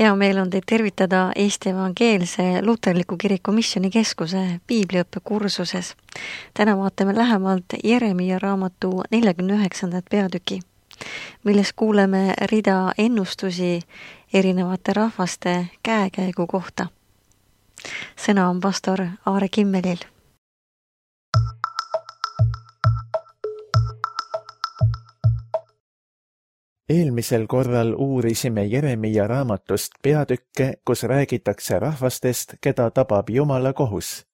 Hea meel on teid tervitada Eesti Evangeelse Luterliku Kiriku Missioonikeskuse piibliõppe kursuses. Täna vaatame lähemalt Jeremia raamatu 49. peatüki, milles kuuleme rida ennustusi erinevate rahvaste käekäigu kohta. Sõna on pastor Aare Kimmelil. Eelmisel korral uurisime Jeremia raamatust peatükke, kus räägitakse rahvastest, keda tabab Jumala kohus.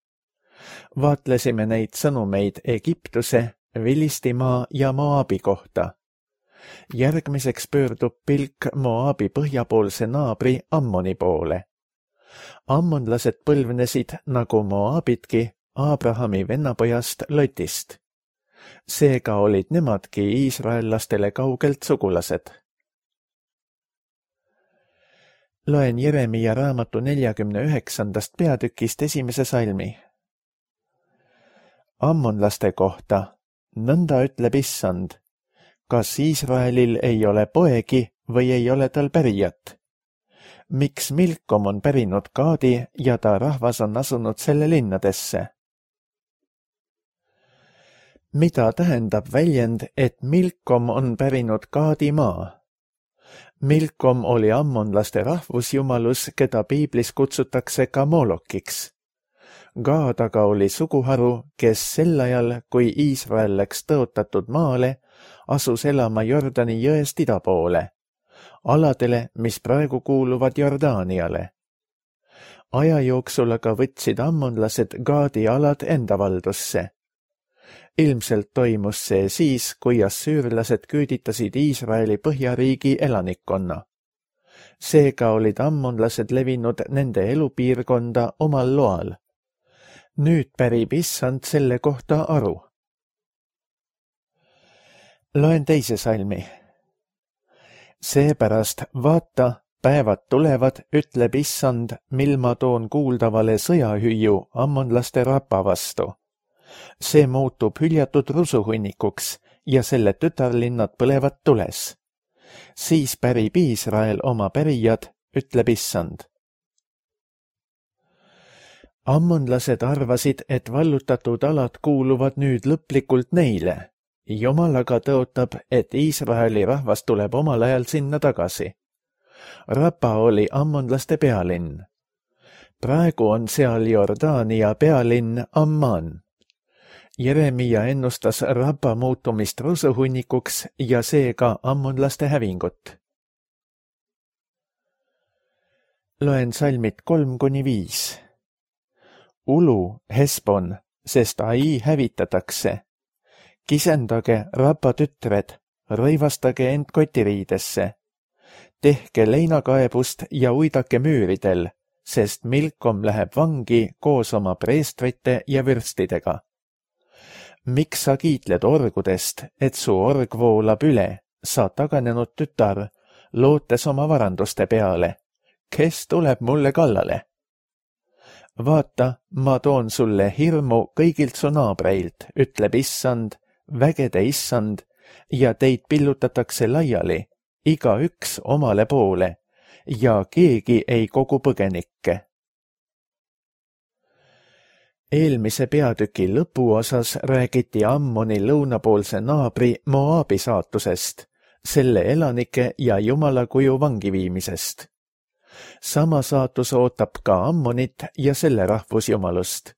Vaatlesime neid sõnumeid Egiptuse, Filistimaa ja Moabi kohta. Järgmiseks pöördub pilk Moabi põhjapoolse naabri Ammoni poole. Ammonlased põlvnesid nagu Moabitki Abrahami vennapojast Lotist. Seega olid nemadki iisraellastele kaugelt sugulased. Loen Jeremia raamatu 49. peatükist esimese salmi. Ammonlaste kohta, nõnda ütleb Issand, kas Iisraelil ei ole poegi või ei ole tal pärijat? Miks Milkom on pärinud Gaadi ja ta rahvas on asunud selle linnadesse? Mida tähendab väljend, et Milkom on pärinud Gaadi maa? Milkom oli ammonlaste rahvusjumalus, keda piiblis kutsutakse ka Molokiks. Gaad aga oli suguharu, kes sel ajal, kui Iisrael läks tõotatud maale, asus elama Jordani jõest ida poole, aladele, mis praegu kuuluvad Jordaaniale. Aja jooksul aga võtsid ammonlased Gaadi alad enda valdusse. Ilmselt toimus see siis, kui assüürlased küüditasid Iisraeli põhjariigi elanikkonna. Seega olid ammonlased levinud nende elupiirkonda omal loal. Nüüd pärib Issand selle kohta aru. Loen teise salmi. Seepärast vaata, päevad tulevad, ütleb Issand, mil ma toon kuuldavale sõjahüüu ammonlaste rapa vastu. See muutub hüljatud rusuhunnikuks ja selle tütarlinnad põlevad tules. Siis pärib Iisrael oma pärijad, ütleb Issand. Ammonlased arvasid, et vallutatud alad kuuluvad nüüd lõplikult neile. Jumal aga tõotab, et Iisraeli rahvas tuleb omal ajal sinna tagasi. Rapa oli ammonlaste pealinn. Praegu on seal Jordaania pealinn Amman. Jeremia ennustas Rapa muutumist rusuhunnikuks ja seega ammonlaste hävingut. Loen salmid 3-5. Ulu, Hesbon, sest Ai hävitatakse. Kisendage, Rapa tütred, rõivastage end kotiriidesse. Tehke leinakaebust ja uidake müüridel, sest Milkom läheb vangi koos oma preestrite ja vürstidega. Miks sa kiitled orgudest, et su org voolab üle, sa taganenud tütar, lootes oma varanduste peale? Kes tuleb mulle kallale? Vaata, ma toon sulle hirmu kõigilt su naabreilt, ütleb Issand, vägede Issand, ja teid pillutatakse laiali, igaüks omale poole, ja keegi ei kogu põgenikke. Eelmise peatüki lõpuosas räägiti Ammoni lõunapoolse naabri Moabi saatusest, selle elanike ja Jumala kuju vangiviimisest. Sama saatus ootab ka Ammonit ja selle rahvusjumalust.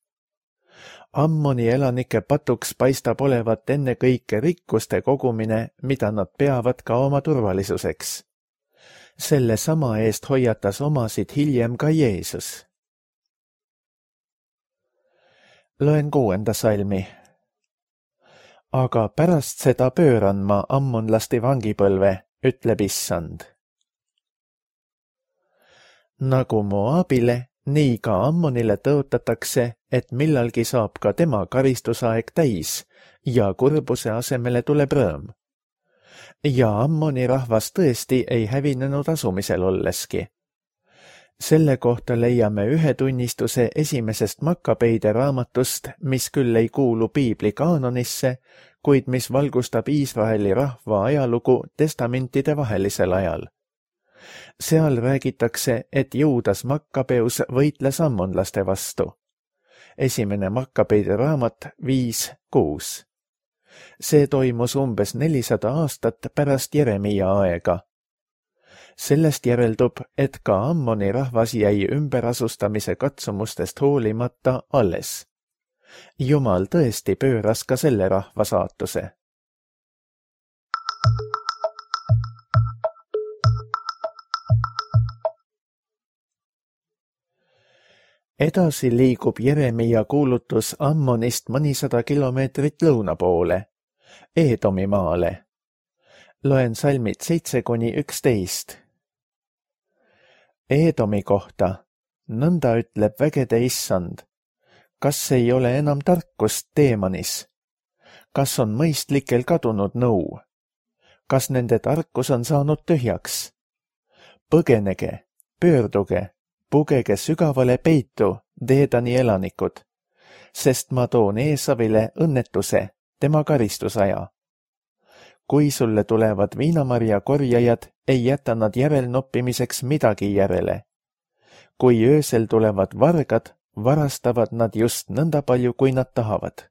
Ammoni elanike patuks paistab olevat ennekõike rikkuste kogumine, mida nad peavad ka oma turvalisuseks. Selle sama eest hoiatas omasid hiljem ka Jeesus. Loen 6. salmi. Aga pärast seda pööran ma ammonlaste vangipõlve, ütleb Issand. Nagu Moabile, nii ka Ammonile tõotatakse, et millalgi saab ka tema karistusaeg täis ja kurbuse asemele tuleb rõõm. Ja Ammoni rahvas tõesti ei hävinenud asumisel olleski. Selle kohta leiame ühe tunnistuse esimesest Makkabeide raamatust, mis küll ei kuulu piibli kaanonisse, kuid mis valgustab Iisraeli rahva ajalugu testamentide vahelisel ajal. Seal räägitakse, et Juudas Makkabeus võitles ammonlaste vastu. Esimene Makkabeide raamat 5:6. See toimus umbes 400 aastat pärast Jeremiia aega. Sellest järeldub, et ka Ammoni rahvas jäi ümberasustamise katsumustest hoolimata alles. Jumal tõesti pööras ka selle rahva saatuse. Edasi liigub Jeremiia kuulutus Ammonist mõnisada kilomeetrit lõuna poole, Eedomi maale. Loen salmid 7-11. Eedomi kohta, nõnda ütleb vägede issand, kas ei ole enam tarkust Teemanis? Kas on mõistlikel kadunud nõu? Kas nende tarkus on saanud tühjaks? Põgenege, pöörduge, pugege sügavale peitu, Deedani elanikud, sest ma toon Eesavile õnnetuse, tema karistusaja. Kui sulle tulevad viinamarja korjajad, ei jäta nad järelnoppimiseks midagi järele. Kui öösel tulevad vargad, varastavad nad just nõnda palju, kui nad tahavad.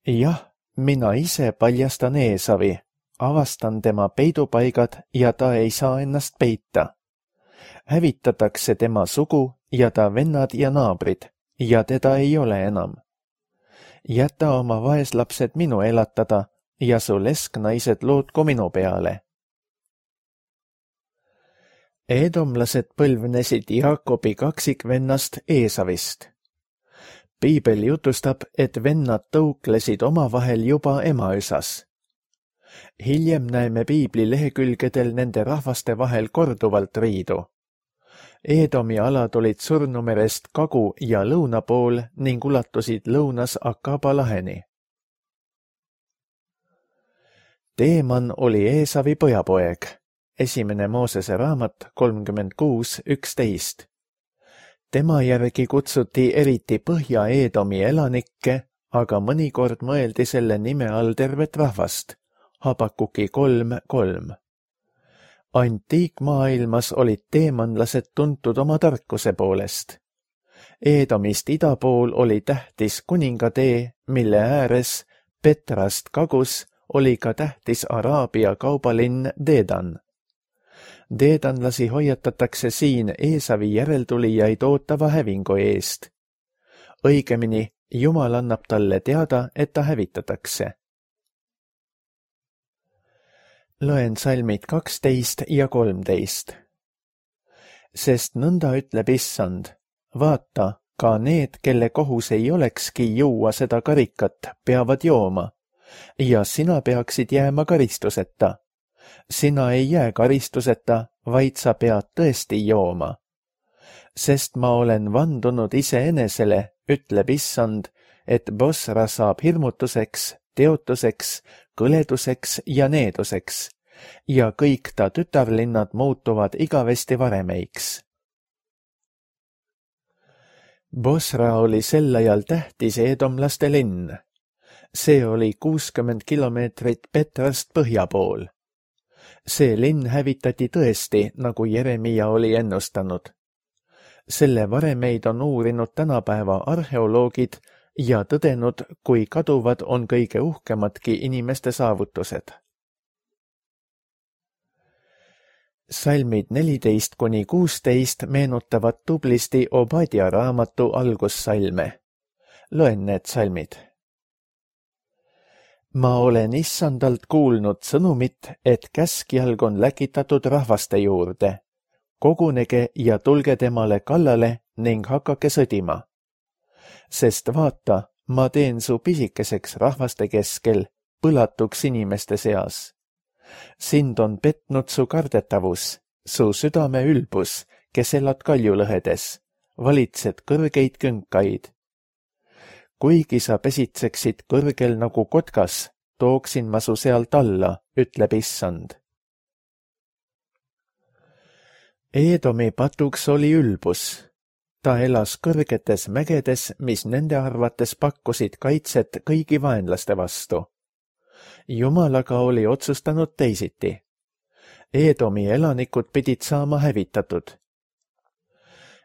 Jah, mina ise paljastan Eesavi, avastan tema peidupaigad ja ta ei saa ennast peita. Hävitatakse tema sugu ja ta vennad ja naabrid ja teda ei ole enam. Jäta oma vaeslapsed minu elatada ja su lesknaised lootku minu peale. Eedomlased põlvnesid Jaakobi kaksikvennast Eesavist. Piibel jutustab, et vennad tõuklesid omavahel juba emaüsas. Hiljem näeme piibli lehekülgedel nende rahvaste vahel korduvalt riidu. Eedomi alad olid Surnumerest kagu- ja lõuna pool ning ulatusid lõunas Akaba laheni. Teeman oli Eesavi pojapoeg, esimene Moosese raamat 36:11. Tema järgi kutsuti eriti Põhja-Eedomi elanikke, aga mõnikord mõeldi selle nime all tervet rahvast, Habakuki 3:3. Antiikmaailmas olid teemanlased tuntud oma tarkuse poolest. Eedomist ida pool oli tähtis kuningatee, mille ääres Petrast kagus oli ka tähtis Araabia kaubalinn Deedan. Deedanlasi hoiatatakse siin Eesavi järeltulijaid ootava hävingu eest. Õigemini, Jumal annab talle teada, et ta hävitatakse. Loen salmid 12 ja 13. Sest nõnda ütleb issand, vaata, ka need, kelle kohus ei olekski juua seda karikat, peavad jooma, ja sina peaksid jääma karistuseta. Sina ei jää karistuseta, vaid sa pead tõesti jooma. Sest ma olen vandunud iseenesele, ütleb issand, et Bosra saab hirmutuseks, teotuseks, kõleduseks ja needuseks, ja kõik ta tütarlinnad muutuvad igavesti varemeiks. Bosra oli sel ajal tähtis eedomlaste linn. See oli 60 kilomeetrit Petrast põhja pool. See linn hävitati tõesti, nagu Jeremiia oli ennustanud. Selle varemeid on uurinud tänapäeva arheoloogid ja tõdenud, kui kaduvad on kõige uhkemadki inimeste saavutused. Salmid 14-16 meenutavad tublisti Obadja raamatu algussalme. Loen need salmid. Ma olen issandalt kuulnud sõnumit, et käskjalg on läkitatud rahvaste juurde. Kogunege ja tulge temale kallale ning hakake sõdima. Sest vaata, ma teen su pisikeseks rahvaste keskel, põlatuks inimeste seas. Sind on petnud su kardetavus, su südame ülbus, kes elad kaljulõhedes, valitsed kõrgeid künkaid. Kuigi sa pesitseksid kõrgel nagu kotkas, tooksin ma su sealt alla, ütleb issand. Eedomi patuks oli ülbus. Ta elas kõrgetes mägedes, mis nende arvates pakkusid kaitset kõigi vaenlaste vastu. Jumal aga oli otsustanud teisiti. Eedomi elanikud pidid saama hävitatud.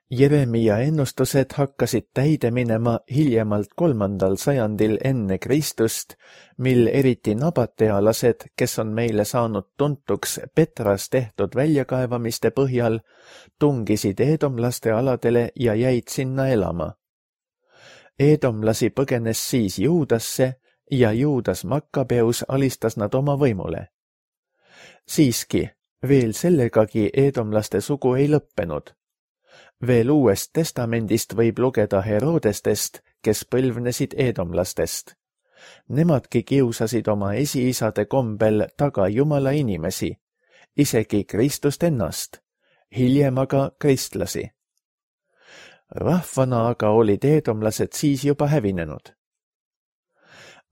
Jeremia ennustused hakkasid täide minema hiljemalt 3. sajandil enne Kristust, mil eriti nabatealased, kes on meile saanud tuntuks Petras tehtud väljakaevamiste põhjal, tungisid eedomlaste aladele ja jäid sinna elama. Eedomlasi põgenes siis Juudasse ja Juudas Makkabeus alistas nad oma võimule. Siiski, veel sellegagi eedomlaste sugu ei lõppenud. Veel Uuest Testamendist võib lugeda Herodestest, kes põlvnesid eedomlastest. Nemadki kiusasid oma esiisade kombel taga Jumala inimesi, isegi Kristust ennast, hiljem aga kristlasi. Rahvana aga olid eedomlased siis juba hävinenud.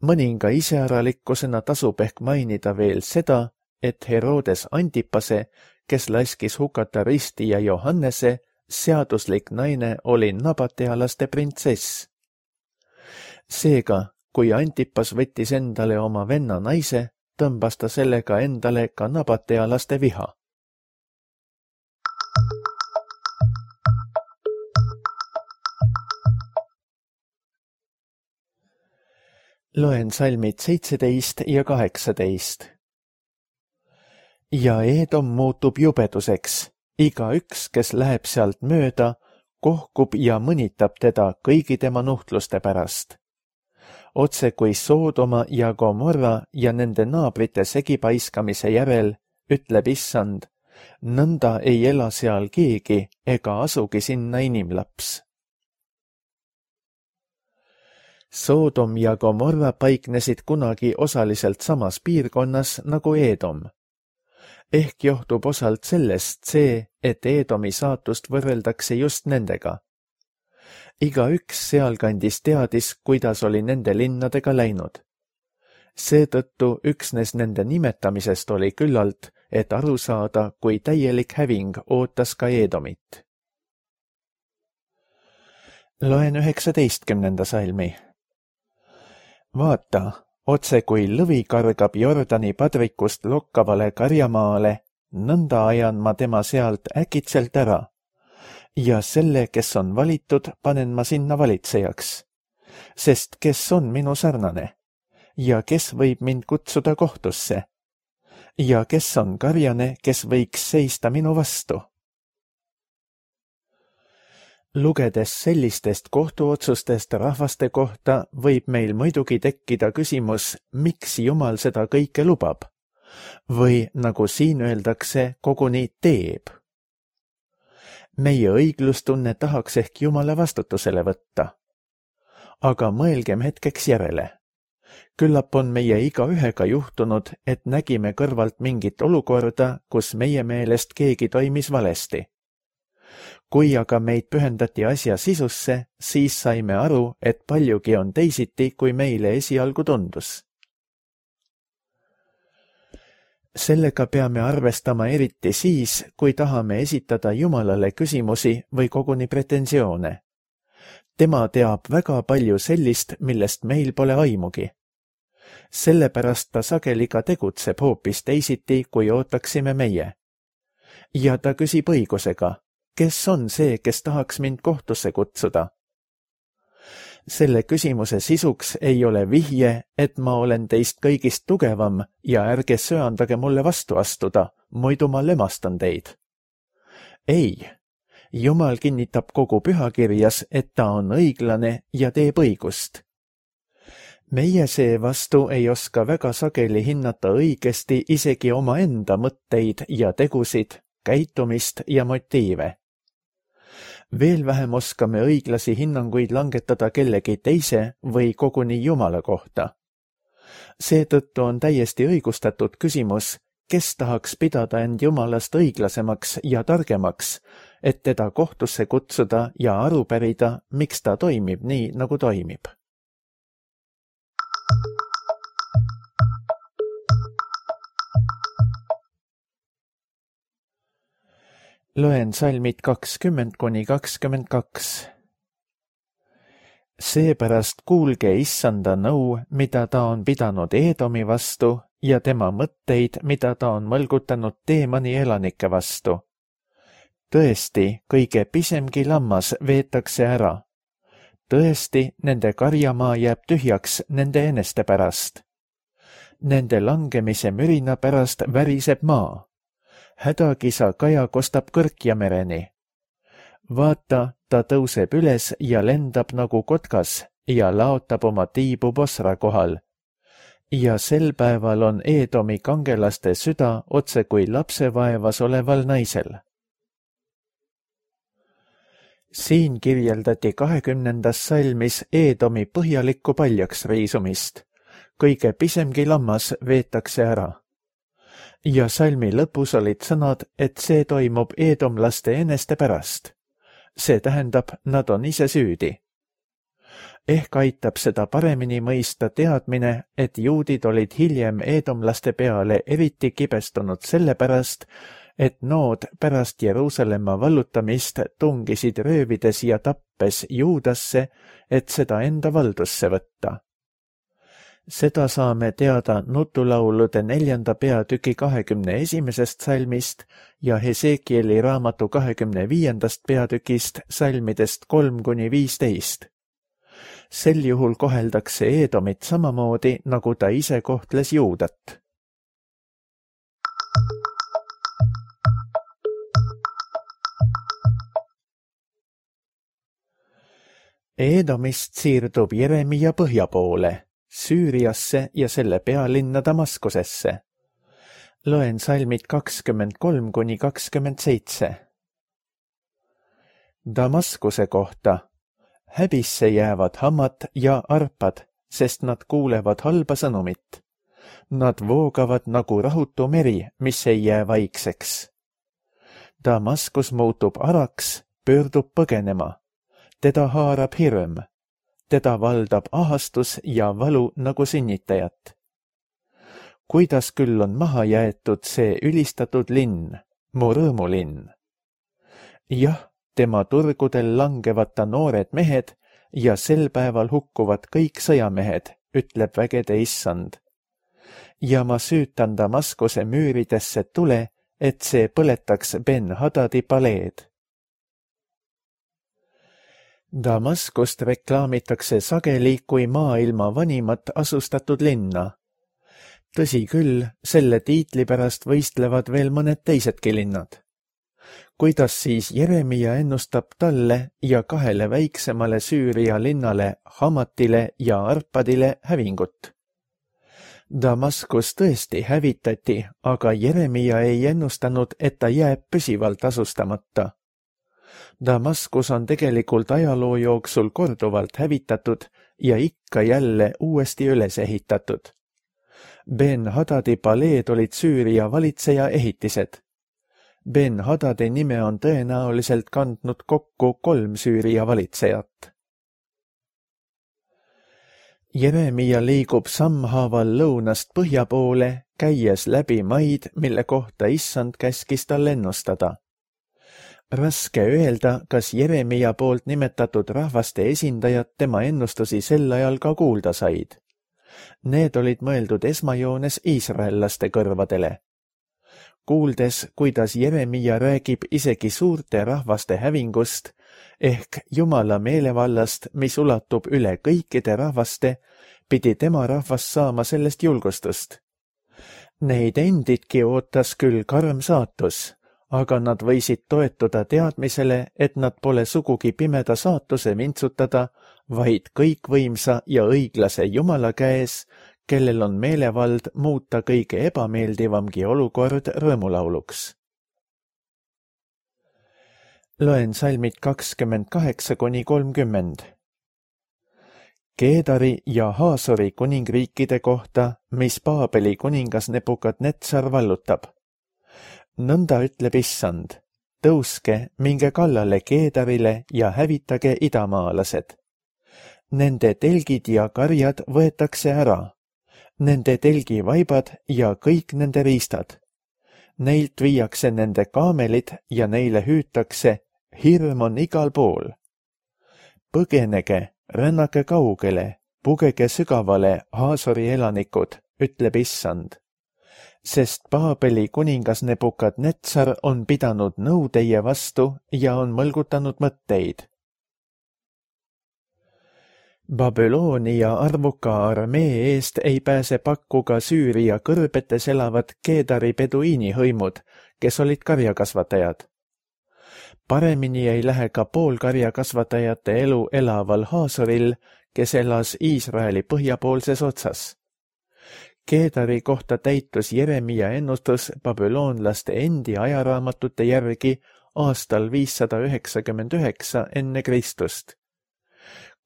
Mõninga iseäralikkusena tasub ehk mainida veel seda, et Herodes Antipase, kes laskis hukata Risti ja Johannese, seaduslik naine oli nabatealaste printsess. Seega, kui Antipas võttis endale oma venna naise, tõmbas ta sellega endale ka nabatealaste viha. Loen salmid 17 ja 18. Ja Eedom muutub jubeduseks. Igaüks, kes läheb sealt mööda, kohkub ja mõnitab teda kõigi tema nuhtluste pärast. Otse kui Soodoma ja Gomorra ja nende naabrite segipaiskamise järel, ütleb Issand, nõnda ei ela seal keegi ega asugi sinna inimlaps. Soodom ja Gomorra paiknesid kunagi osaliselt samas piirkonnas nagu Eedom. Ehk johtub osalt sellest see, et Eedomi saatust võrreldakse just nendega. Igaüks sealkandis teadis, kuidas oli nende linnadega läinud. Seetõttu üksnes nende nimetamisest oli küllalt, et aru saada, kui täielik häving ootas ka Eedomit. Loen 19. salmi. Vaata, otse kui lõvi kargab Jordani padrikust lokkavale karjamaale, nõnda ajan ma tema sealt äkitselt ära. Ja selle, kes on valitud, panen ma sinna valitsejaks. Sest kes on minu sarnane? Ja kes võib mind kutsuda kohtusse? Ja kes on karjane, kes võiks seista minu vastu? Lugedes sellistest kohtuotsustest rahvaste kohta võib meil muidugi tekkida küsimus, miks Jumal seda kõike lubab? Või, nagu siin öeldakse, koguni teeb. Meie õiglustunne tahaks ehk Jumala vastutusele võtta. Aga mõelgem hetkeks järele. Küllap on meie igaühega juhtunud, et nägime kõrvalt mingit olukorda, kus meie meelest keegi toimis valesti. Kui aga meid pühendati asja sisusse, siis saime aru, et paljugi on teisiti, kui meile esialgu tundus. Sellega peame arvestama eriti siis, kui tahame esitada Jumalale küsimusi või koguni pretensioone. Tema teab väga palju sellist, millest meil pole aimugi. Sellepärast ta sageli ka tegutseb hoopis teisiti, kui ootaksime meie. Ja ta küsib õigusega. Kes on see, kes tahaks mind kohtusse kutsuda? Selle küsimuse sisuks ei ole vihje, et ma olen teist kõigist tugevam ja ärge söandage mulle vastu astuda, muidu ma lömastan teid. Ei, Jumal kinnitab kogu pühakirjas, et ta on õiglane ja teeb õigust. Meie seevastu ei oska väga sageli hinnata õigesti isegi omaenda mõtteid ja tegusid, käitumist ja motiive. Veel vähem oskame õiglasi hinnanguid langetada kellegi teise või koguni Jumala kohta. Seetõttu on täiesti õigustatud küsimus, kes tahaks pidada end Jumalast õiglasemaks ja targemaks, et teda kohtusse kutsuda ja aru pärida, miks ta toimib nii, nagu toimib. Loen salmid 20–22. Seepärast kuulge issanda nõu, mida ta on pidanud Eedomi vastu ja tema mõtteid, mida ta on mõlgutanud Teemani elanike vastu. Tõesti, kõige pisemgi lammas veetakse ära. Tõesti, nende karjamaa jääb tühjaks nende eneste pärast. Nende langemise mürina pärast väriseb maa. Hädakisa kaja kostab Kõrkjamereni. Vaata, ta tõuseb üles ja lendab nagu kotkas ja laotab oma tiibu Bosra kohal. Ja sel päeval on Eedomi kangelaste süda otse kui lapsevaevas oleval naisel. Siin kirjeldati 20. salmis Eedomi põhjalikku paljaks riisumist. Kõige pisemgi lammas veetakse ära. Ja salmi lõpus olid sõnad, et see toimub eedomlaste eneste pärast. See tähendab, nad on ise süüdi. Ehk aitab seda paremini mõista teadmine, et juudid olid hiljem eedomlaste peale eriti kibestunud sellepärast, et nood pärast Jeruusalemma vallutamist tungisid röövides ja tappes Juudasse, et seda enda valdusse võtta. Seda saame teada nutulaulude 4. peatüki 21. salmist ja Hesekieli raamatu 25. peatükist salmidest 3-15. Sel juhul koheldakse Eedomit samamoodi, nagu ta ise kohtles Juudat. Eedomist siirdub Jeremia põhja poole, Süüriasse ja selle pealinna Damaskusesse. Loen salmid 23-27. Damaskuse kohta. Häbisse jäävad Hamat ja Arpad, sest nad kuulevad halba sõnumit. Nad voogavad nagu rahutu meri, mis ei jää vaikseks. Damaskus muutub araks, pöördub põgenema. Teda haarab hirm. Teda valdab ahastus ja valu nagu sünnitajat. Kuidas küll on maha jäetud see ülistatud linn, mu rõõmulinn? Jah, tema turgudel langevad ta noored mehed ja sel päeval hukkuvad kõik sõjamehed, ütleb vägede issand. Ja ma süütan Damaskuse müüridesse tule, et see põletaks Ben-Hadadi paleed. Damaskust reklaamitakse sageli kui maailma vanimat asustatud linna. Tõsi küll, selle tiitli pärast võistlevad veel mõned teisedki linnad. Kuidas siis Jeremia ennustab talle ja 2 väiksemale Süüria linnale, Hamatile ja Arpadile hävingut? Damaskus tõesti hävitati, aga Jeremia ei ennustanud, et ta jääb püsivalt asustamata. Damaskus on tegelikult ajaloo jooksul korduvalt hävitatud ja ikka jälle uuesti üles ehitatud. Ben-Hadadi paleed olid Süüria valitseja ehitised. Ben-Hadadi nime on tõenäoliselt kandnud kokku 3 Süüria valitsejat. Jeremia liigub sammhaaval lõunast põhja poole, käies läbi maid, mille kohta issand käskis tal ennustada. Raske öelda, kas Jeremia poolt nimetatud rahvaste esindajad tema ennustusi sel ajal ka kuulda said. Need olid mõeldud esmajoones iisraellaste kõrvadele. Kuuldes, kuidas Jeremia räägib isegi suurte rahvaste hävingust, ehk Jumala meelevallast, mis ulatub üle kõikide rahvaste, pidi tema rahvas saama sellest julgustust. Neid endidki ootas küll karm saatus, aga nad võisid toetuda teadmisele, et nad pole sugugi pimeda saatuse vintsutada, vaid kõikvõimsa ja õiglase Jumala käes, kellel on meelevald muuta kõige ebameeldivamgi olukord rõõmulauluks. Loen salmid 28-30. Keedari ja Haasori kuningriikide kohta, mis Paabeli kuningas Nebukadnetsar vallutab. Nõnda ütleb issand, tõuske, minge kallale Keedarile ja hävitage idamaalased. Nende telgid ja karjad võetakse ära, nende telgivaibad ja kõik nende riistad. Neilt viiakse nende kaamelid ja neile hüütakse, hirm on igal pool. Põgenege, rännake kaugele, pugege sügavale, Haasori elanikud, ütleb Issand. Sest Paabeli kuningas Nebukadnetsar on pidanud nõu teie vastu ja on mõlgutanud mõtteid. Babyloonia arvuka armee eest ei pääse pakku ka Süüria kõrbetes elavad Keedari peduiini hõimud, kes olid karjakasvatajad. Paremini ei lähe ka poolkarjakasvatajate elu elaval Haasoril, kes elas Iisraeli põhjapoolses otsas. Keedari kohta täitus Jeremia ennustus babüloonlaste endi ajaraamatute järgi aastal 599 enne Kristust.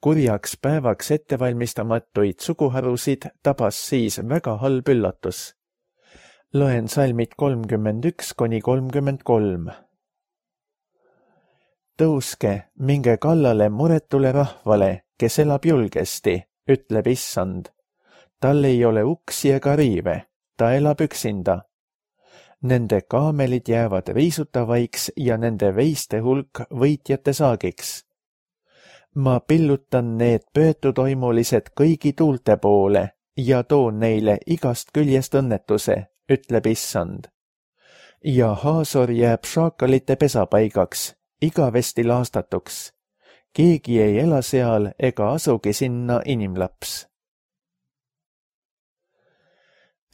Kurjaks päevaks ettevalmistamatuid suguharusid tabas siis väga halb üllatus. Loen salmid 31–33. Tõuske, minge kallale muretule rahvale, kes elab julgesti, ütleb Issand. Tal ei ole uksi ega riive, ta elab üksinda. Nende kaamelid jäävad riisutavaiks ja nende veiste hulk võitjate saagiks. Ma pillutan need pöötutoimulised kõigi tuulte poole ja toon neile igast küljest õnnetuse, ütleb Issand. Ja Haasor jääb šaakalite pesapaigaks, igavesti laastatuks. Keegi ei ela seal ega asugi sinna inimlaps.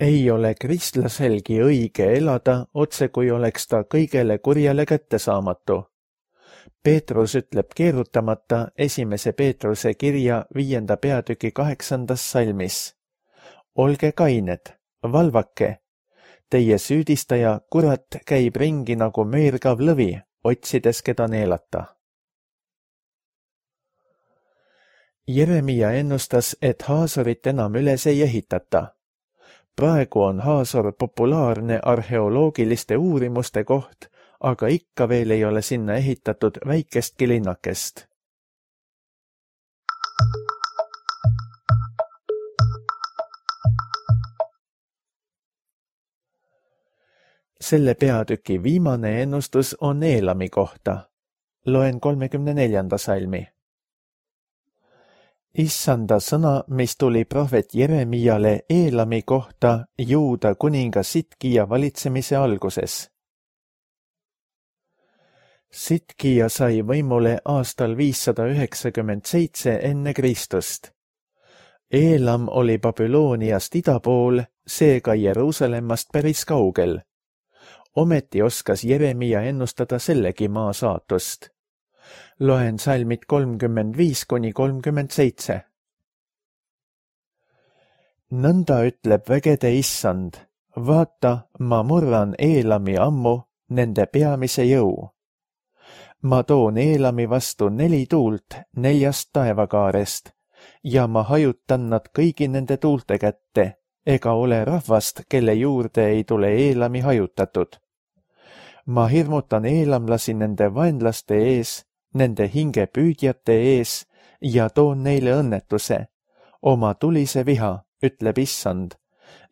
Ei ole kristlaselgi õige elada, otse kui oleks ta kõigele kurjale kättesaamatu. Peetrus ütleb keerutamata 1. Peetruse kirja 5. peatüki 8. salmis. Olge kained, valvake. Teie süüdistaja kurat käib ringi nagu meergav lõvi, otsides keda neelata. Jeremia ennustas, et Haasorit enam üles ei ehitata. Praegu on Haasor populaarne arheoloogiliste uurimuste koht, aga ikka veel ei ole sinna ehitatud väikestki linnakest. Selle peatüki viimane ennustus on Eelami kohta. Loen 34. salmi. Issanda sõna, mis tuli prohvet Jeremiale Eelami kohta Juuda kuninga Sitkija valitsemise alguses. Sitkija sai võimule aastal 597 enne Kristust. Eelam oli Babyloniast ida pool, seega Jeruusalemmast päris kaugel. Ometi oskas Jeremia ennustada sellegi maa saatust. Loen salmid 35–37. Nõnda ütleb vägede Issand, vaata, ma murran Eelami ammu, nende peamise jõu. Ma toon Eelami vastu 4 tuult 4 taevakaarest ja ma hajutan nad kõigi nende tuulte kätte, ega ole rahvast, kelle juurde ei tule Eelami hajutatud. Ma hirmutan eelamlasi nende vaenlaste ees, nende hingepüüdjate ees ja toon neile õnnetuse, oma tulise viha, ütleb Issand,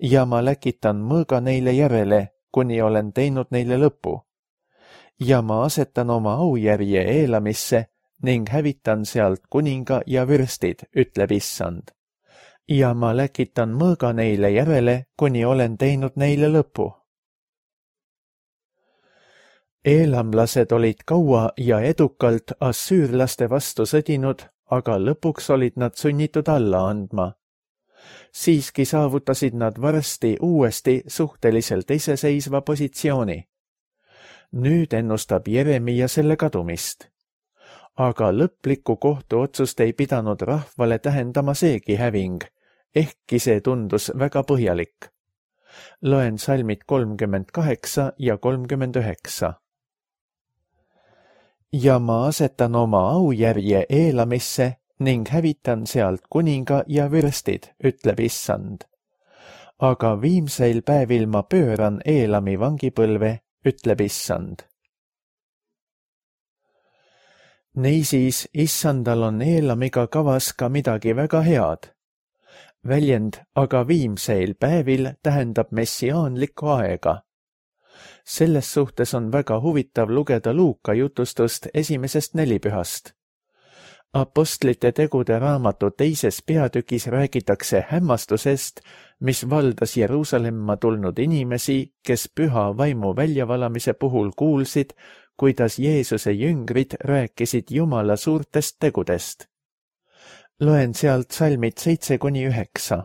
ja ma läkitan mõõga neile järele, kuni olen teinud neile lõpu. Ja ma asetan oma aujärje Eelamisse ning hävitan sealt kuninga ja vürstid, ütleb Issand. Ja ma läkitan mõõga neile järele, kuni olen teinud neile lõpu. Eelamlased olid kaua ja edukalt assüürlaste vastu sõdinud, aga lõpuks olid nad sunnitud alla andma. Siiski saavutasid nad varsti uuesti suhteliselt iseseisva positsiooni. Nüüd ennustab Jeremia selle kadumist. Aga lõplikku kohtuotsust ei pidanud rahvale tähendama seegi häving, ehkki see tundus väga põhjalik. Loen salmid 38 ja 39. Ja ma asetan oma aujärje Eelamisse ning hävitan sealt kuninga ja vürstid, ütleb Issand. Aga viimseil päevil ma pööran Eelami vangipõlve, ütleb Issand. Niisiis, Issandal on Eelamiga kavas ka midagi väga head. Väljend aga viimseil päevil tähendab messiaanlikku aega. Selles suhtes on väga huvitav lugeda Luuka jutustust 1. nelipühast. Apostlite tegude raamatu 2. peatükis räägitakse hämmastusest, mis valdas Jeruusalemma tulnud inimesi, kes püha vaimu väljavalamise puhul kuulsid, kuidas Jeesuse jüngrid rääkisid Jumala suurtest tegudest. Loen sealt salmid 7-9.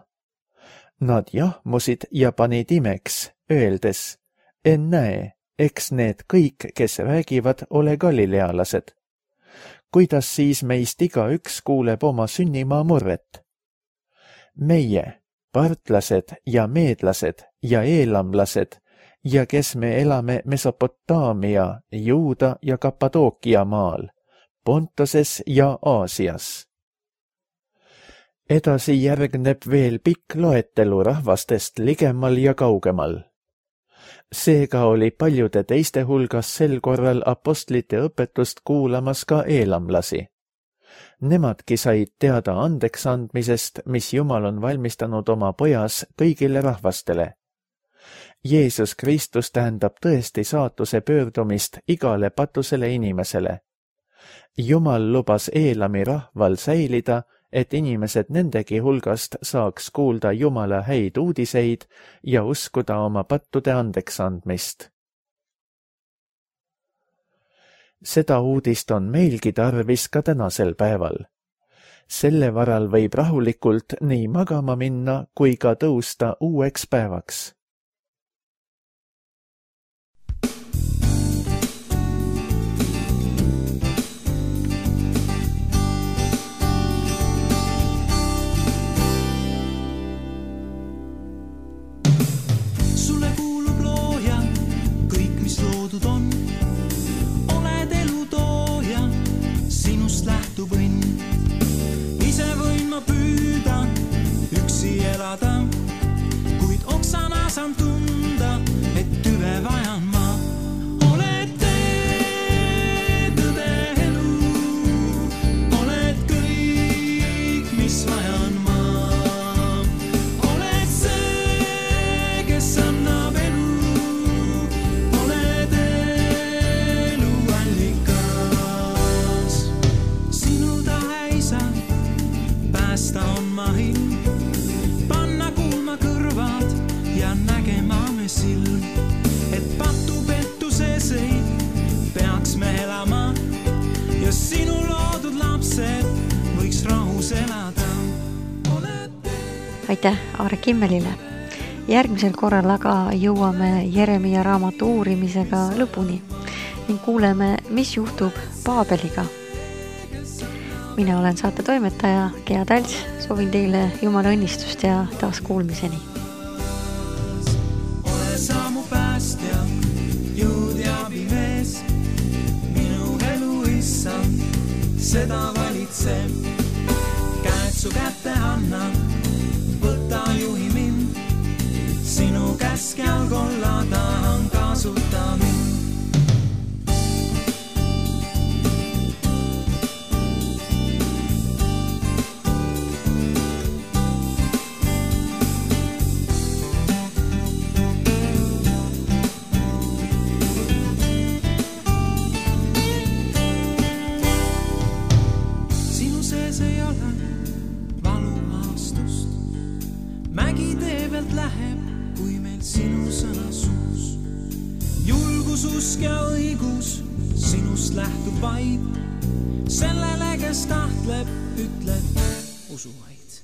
Nad jahmusid ja panid imeks, öeldes, ennäe, eks need kõik, kes räägivad, ole galilealased. Kuidas siis meist igaüks kuuleb oma sünnimaa murret? Meie, partlased ja meedlased ja eelamlased ja kes me elame Mesopotaamia, Juuda ja Kappadookia maal, Pontoses ja Aasias. Edasi järgneb veel pikk loetelu rahvastest ligemal ja kaugemal. Seega oli paljude teiste hulgas sel korral apostlite õpetust kuulamas ka eelamlasi. Nemadki said teada andeks andmisest, mis Jumal on valmistanud oma pojas kõigile rahvastele. Jeesus Kristus tähendab tõesti saatuse pöördumist igale patusele inimesele. Jumal lubas Eelami rahval säilida, et inimesed nendegi hulgast saaks kuulda Jumala häid uudiseid ja uskuda oma pattude andeks andmist. Seda uudist on meilgi tarvis ka tänasel päeval. Selle varal võib rahulikult nii magama minna kui ka tõusta uueks päevaks. Ise võin ma püüda üksi elada, kuid oksana saan tunda, et tüve vajan ma. Oled tee, tõde elu, oled kõik, mis vajan ma. Oled see, kes annab elu, oled elu allikas. Sinu tahaisa päästa on ma hind, panna kuulma kõrvad ja nägema me silm, et patupettuses ei peaks me elama ja sinu loodud lapsed võiks rahus elada. Aitäh Aare Kimmelile. Järgmisel korral aga jõuame Jeremia raamatu uurimisega lõpuni ning kuuleme, mis juhtub Paabeliga. Mina olen saate toimetaja Gea Talts, soovin teile Jumala õnnistust ja taas kuulmiseni. Ole sa mu päästja, jõud ja abimees, minu elu issand, seda valitseb. Käed su kätte anna, võta juhi mind, sinu käsk jalgolla tahan kasuta mind. Läheb, kui meil sinu sõna suus. Julgus, usk ja õigus sinust lähtub vaid. Sellele, kes tahtleb, ütleb usu vaid.